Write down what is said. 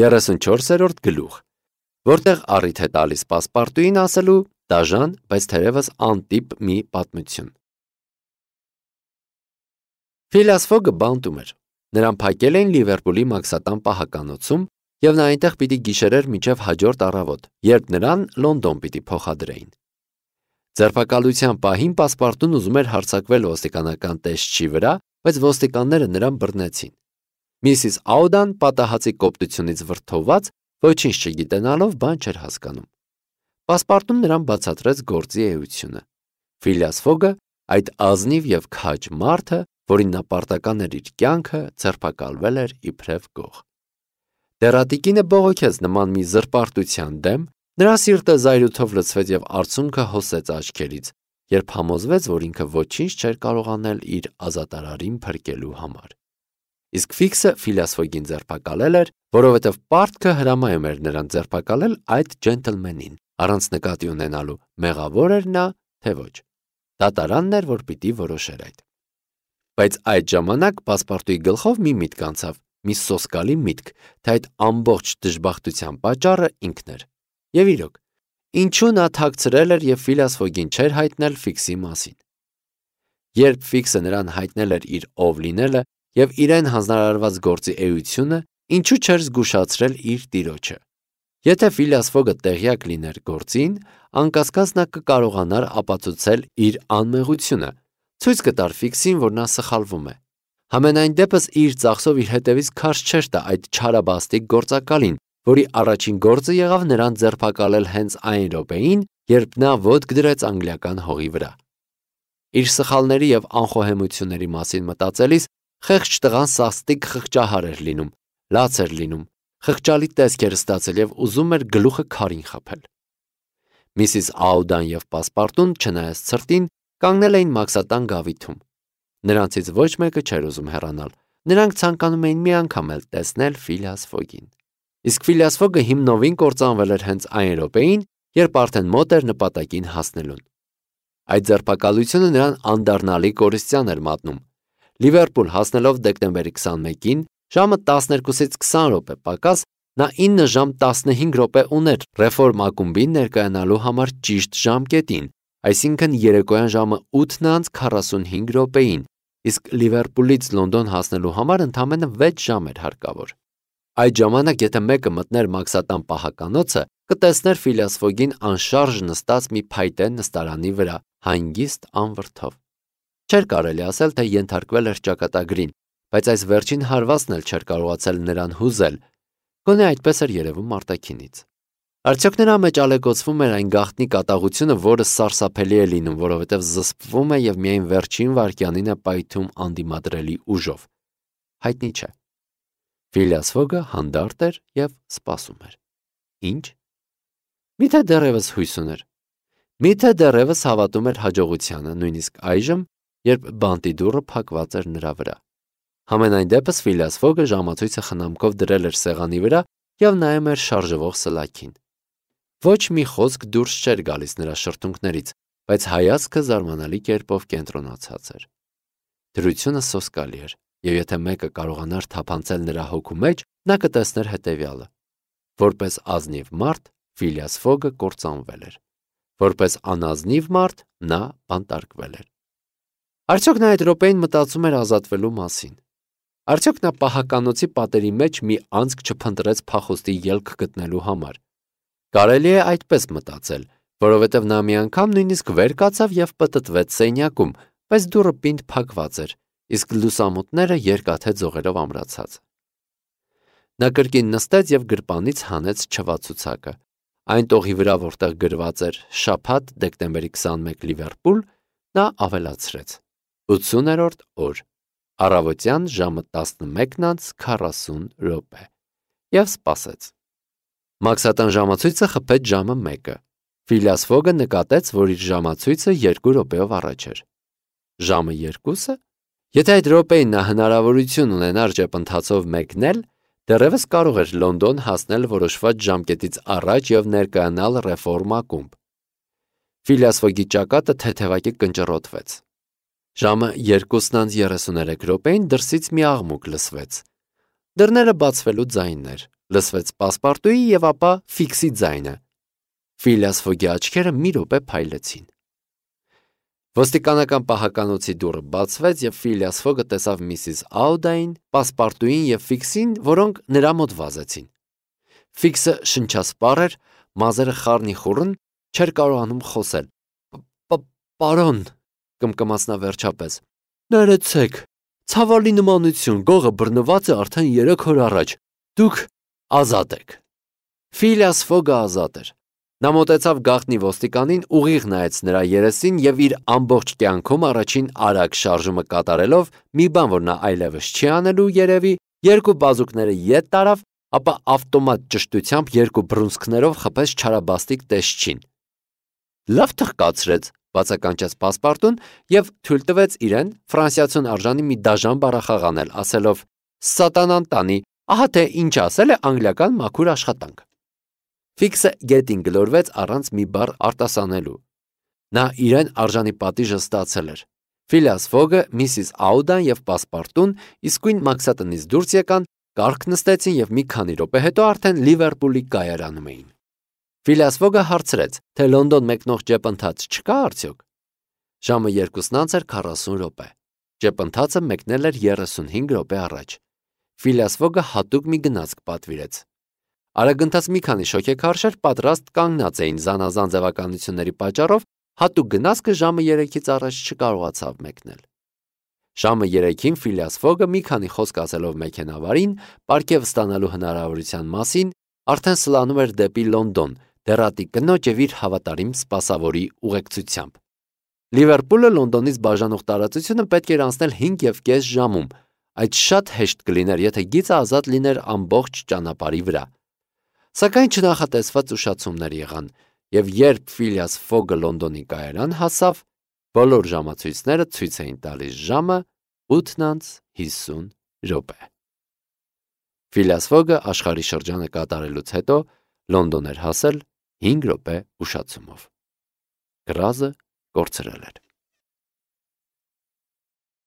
34-րդ գլուխ, որտեղ առիթ է տալիս պասպարտուին ասելու դաժան, բայց թերևս անտիպ մի պատմություն։ Ֆիլիաս Ֆոգը բանտում էր։ Նրան փակել էին Լիվերպուլի Մաքսատան պահականոցում, եւ նա այնտեղ պիտի գիշերեր մինչև հաջորդ առավոտ, երբ նրան Լոնդոն պիտի փոխադրեին։ Ձերբակալության պահին պասպարտուն ուզում էր հարձակվել ոստիկանական տեսչի վրա, բայց ոստիկանները նրան բռնեցին։ Միսիս Աուդան պատահածի կոպտությունից վրդովված, ոչինչ չգիտենալով բան չէր հասկանում։ Պասպարտուն նրան բացատրեց գործի էությունը։ Ֆիլիաս Ֆոգը, այդ ազնիվ եւ քաջ մարդը, որին նա պարտական էր իր կյանքը, ձերբակալվել էր իբրև գող։ Դերատիկինը բողոքեց նման մի զրպարտության դեմ, նրա սիրտը զայրույթով լցվեց եւ արցունքը հոսեց աչքերից, երբ համոզվեց, որ ինքը ոչինչ չէր կարող անել իր ազատարարին փրկելու համար։ Իսկ Ֆիքսը Ֆիլիաս Ֆոգին ձերբակալել էր, որովհետև պարտքը հրամայում էր նրան ձերբակալել այդ ջենտլմենին, առանց նկատի ունենալու մեղավոր էր նա, թե ոչ։ Դատարանն էր, որ պիտի որոշեր այդ։ Բայց այդ ժամանակ պասպարտուի գլխով մի միտք անցավ, մի սոսկալի միտք, թե այդ ամբողջ դժբախտության պատճառը ինքն էր։ Եվ իրոք, ինչու նա թաքցրել էր եւ Ֆիլիաս Ֆոգին չէր հայտնել Ֆիքսի մասին։ Երբ Ֆիքսը նրան հայտնել էր իր ով լինելը եւ իրեն հանձնարարված գործի էությունը, ինչու չէր զգուշացրել իր տիրոջը։ Եթե Ֆիլիաս Ֆոգը տեղյակ լիներ գործին, անկասկած նա կկարողանար ապացուցել իր անմեղությունը, ցույց կտար Ֆիքսին, որ նա սխալվում է։ Համենայն դեպս իր ծախսով իր հետևից քարշ չէր տա այդ չարաբաստիկ գործակալին, որի առաջին գործը եղավ նրան ձերբակալել հենց այն րոպեին, երբ նա ոտք դրեց անգլիական հողի վրա։ Իր սխալների եւ անխոհեմությունների մասին մտածելիս խեղճ տղան սաստիկ խղճահար էր լինում, լաց էր լինում, խղճալի տեսք էր ստացել եւ ուզում էր գլուխը քարին խփել։ Միսիս Աուդան եւ պասպարտուն, չնայած ցրտին, կանգնել էին Մաքսատան գավիթում։ Նրանցից ոչ մեկը չէր ուզում հեռանալ։ Նրանք ցանկանում էին մի անգամ էլ տեսնել Ֆիլիաս Ֆոգին։ Իսկ Ֆիլիաս Ֆոգը հիմնովին կործանվել էր հենց այն րոպեին, երբ արդեն մոտ էր նպատակին հասնելուն։ Այդ ձերբակալությունը նրան անդառնալի կորստյան էր մատնում։ Լիվերպուլ հասնելով դեկտեմբերի 21-ին, ժամը 12-ից 20 րոպե պակաս, նա 9 ժամ 15 րոպե ուներ ռեֆորմ ակումբին ներկայանալու համար ճիշտ ժամկետին, այսինքն երեկոյան ժամը 8:45 րոպեին, իսկ Լիվերպուլից Լոնդոն հասնելու համար ընդամենը 6 ժամ էր հարկավոր։ Այդ ժամանակ, եթե մեկը մտներ Մաքսատան պահականոցը, կտեսներ Ֆիլիաս Ֆոգին անշարժ նստած մի փայտե նստարանի վրա, հանգիստ անվրդով։ Չէր կարելի ասել, թե ենթարկվել էր ճակատագրին, բայց այս վերջին հարվածն էլ չէր կարողացել նրան հուզել, գոնե այդպես էր երևում արտաքինից։ Արդյոք նրա մեջ ալեկոծվում էր այն գաղտնի կատաղությունը, որը սարսափելի է լինում, որովհետև զսպվում է եւ միայն վերջին վայրկյանին է պայթում անդիմադրելի ուժով։ Հայտնի չէ։ Ֆիլիաս Ֆոգը հանդարտ էր եւ սպասում էր։ Ինչ։ Միթե դեռևս հույս ուներ։ Միթե դեռևս հավատում էր հաջողությանը, նույնիսկ այժմ, երբ բանտի դուռը փակված էր նրա վրա։ Համենայն դեպս Ֆիլիաս Ֆոգը ժամացույցը խնամքով դրել էր սեղանի վրա եւ նայում էր շարժվող սլաքին։ Ոչ մի խոսք դուրս չէր գալիս նրա շրթունքներից, բայց հայացքը զարմանալի կերպով կենտրոնացած էր։ Դրությունը սոսկալի էր, եւ եթե մեկը կարողանար թափանցել նրա հոգու մեջ, նա կտեսներ հետեւյալը. որպես ազնիվ մարդ Ֆիլիաս Ֆոգը կործանվել էր, որպես անազնիվ մարդ նա բանտարկվել էր։ Արդյոք նա այդ րոպեին մտածում էր ազատվելու մասին։ Արդյոք նա պահականոցի պատերի մեջ մի անցք չփնտրեց փախուստի ելք գտնելու համար։ Կարելի է այդպես մտածել, որովհետև նա մի անգամ նույնիսկ վեր կացավ եւ պտտվեց սենյակում, բայց դուռը պինդ փակված էր, իսկ լուսամուտները երկաթե ձողերով ամրացած։ Նա կրկին նստեց եւ գրպանից հանեց չվացուցակը։ Այն տողի վրա, որտեղ գրված էր շաբաթ դեկտեմբերի 21 Լիվերպուլ, նա ավելացրեց. 80-րդ օր, առավոտյան ժամը 11:40 րոպե եւ սպասեց։ Մաքսատան ժամացույցը խփեց ժամը 1-ը։ Ֆիլիաս Ֆոգը նկատեց, որ իր ժամացույցը 2 րոպեով առաջ էր։ Ժամը 2-ը։ Եթե այդ րոպեին նա հնարավորություն ունենար ճեպընթացով մեկնել, դեռևս կարող էր Լոնդոն հասնել որոշված ժամկետից առաջ եւ ներկայանալ ռեֆորմ ակումբ։ Ֆիլիաս Ֆոգի ճակատը թեթևակի կնճռոտվեց։ Ժամը 2:33 րոպեին դրսից մի աղմուկ լսվեց։ Դռները բացվելու ձայններ, լսվեց Պասպարտուի եւ ապա Ֆիքսի ձայնը։ Ֆիլիաս Ֆոգի աչքերը մի րոպե փայլեցին։ Ոստիկանական պահականոցի դուռը բացվեց եւ Ֆիլիաս Ֆոգը տեսավ Միսիս Աուդային, Պասպարտուին եւ Ֆիքսին, որոնք նրա մոտ վազեցին։ Ֆիքսը շնչասպառ էր, մազերը խառնի խուռն, չէր կարողանում խոսել։ Պարոն, կմկմաց նա վերջապես, ներեցեք, ցավալի նմանություն, գողը բռնված է արդեն 3 օր առաջ, դուք ազատ եք։ Ֆիլիաս Ֆոգը ազատ էր։ Նա մոտեցավ գաղտնի ոստիկանին, ուղիղ նայեց նրա երեսին եւ իր ամբողջ կյանքում առաջին արագ շարժումը կատարելով, մի բան, որ նա այլևս չի անելու երևի, երկու բազուկները ետ տարավ, ապա ավտոմատ ճշտությամբ երկու բռունցքներով խփեց չարաբաստիկ տեսչին։ Լավ թղկացրեց, բացականչեց Պասպարտուն եւ թույլ տվեց իրեն ֆրանսիացուն արժանի մի դաժան բառախաղ անել, ասելով. «Սատանան տանի, ահա թե ինչ ասել է անգլիական մաքուր աշխատանք»։ Ֆիքսը գետին գլորվեց առանց մի բառ արտասանելու։ Նա իրեն արժանի պատիժը ստացել էր։ Ֆիլիաս Ֆոգը, Միսիս Աուդան եւ Պասպարտուն իսկույն մաքսատնից դուրս եկան, կառք նստեցին եւ մի քանի րոպե հետո արդեն Լիվերպուլի կայարանում էին։ Ֆիլիաս Ֆոգը հարցրեց, թե Լոնդոն մեկնող ջեպընթաց չկա արդյոք։ Ժամը 2:40 րոպե։ Ջեպընթացը մեկնել էր 35 րոպե առաջ։ Ֆիլիաս Ֆոգը հատուկ մի գնացք պատվիրեց։ Արագընթաց մի քանի շոգեքարշեր պատրաստ կանգնած էին զանազան ձևականությունների պատճառով, հատուկ գնացքը ժամը 3-ից առաջ չկարողացավ մեկնել։ Ժամը 3-ին Ֆիլիաս Ֆոգը մի քանի խոսք ասելով մեքենավարին, պարգև ստանալու հնարավորության մասին, արդեն սլանում էր դեպի Լոնդոն, դեռատի կնոջ եւ իր հավատարիմ սպասավորի ուղեկցությամբ։ Լիվերպուլը Լոնդոնից բաժանող տարածությունը պետք էր անցնել 5.5 ժամում։ Այդ շատ հեշտ կլիներ, եթե գիծը ազատ լիներ ամբողջ ճանապարհի վրա։ Սակայն չնախատեսված ուշացումներ եղան, եւ երբ Ֆիլիաս Ֆոգը Լոնդոնի կայարան հասավ, բոլոր ժամացույցները ցույց էին տալիս ժամը 8:50 րոպե։ Ֆիլիաս Ֆոգը աշխարհի շրջանը կատարելուց հետո Լոնդոն էր հասել 5 րոպե ուշացումով։ Գրազը կորցրել էր։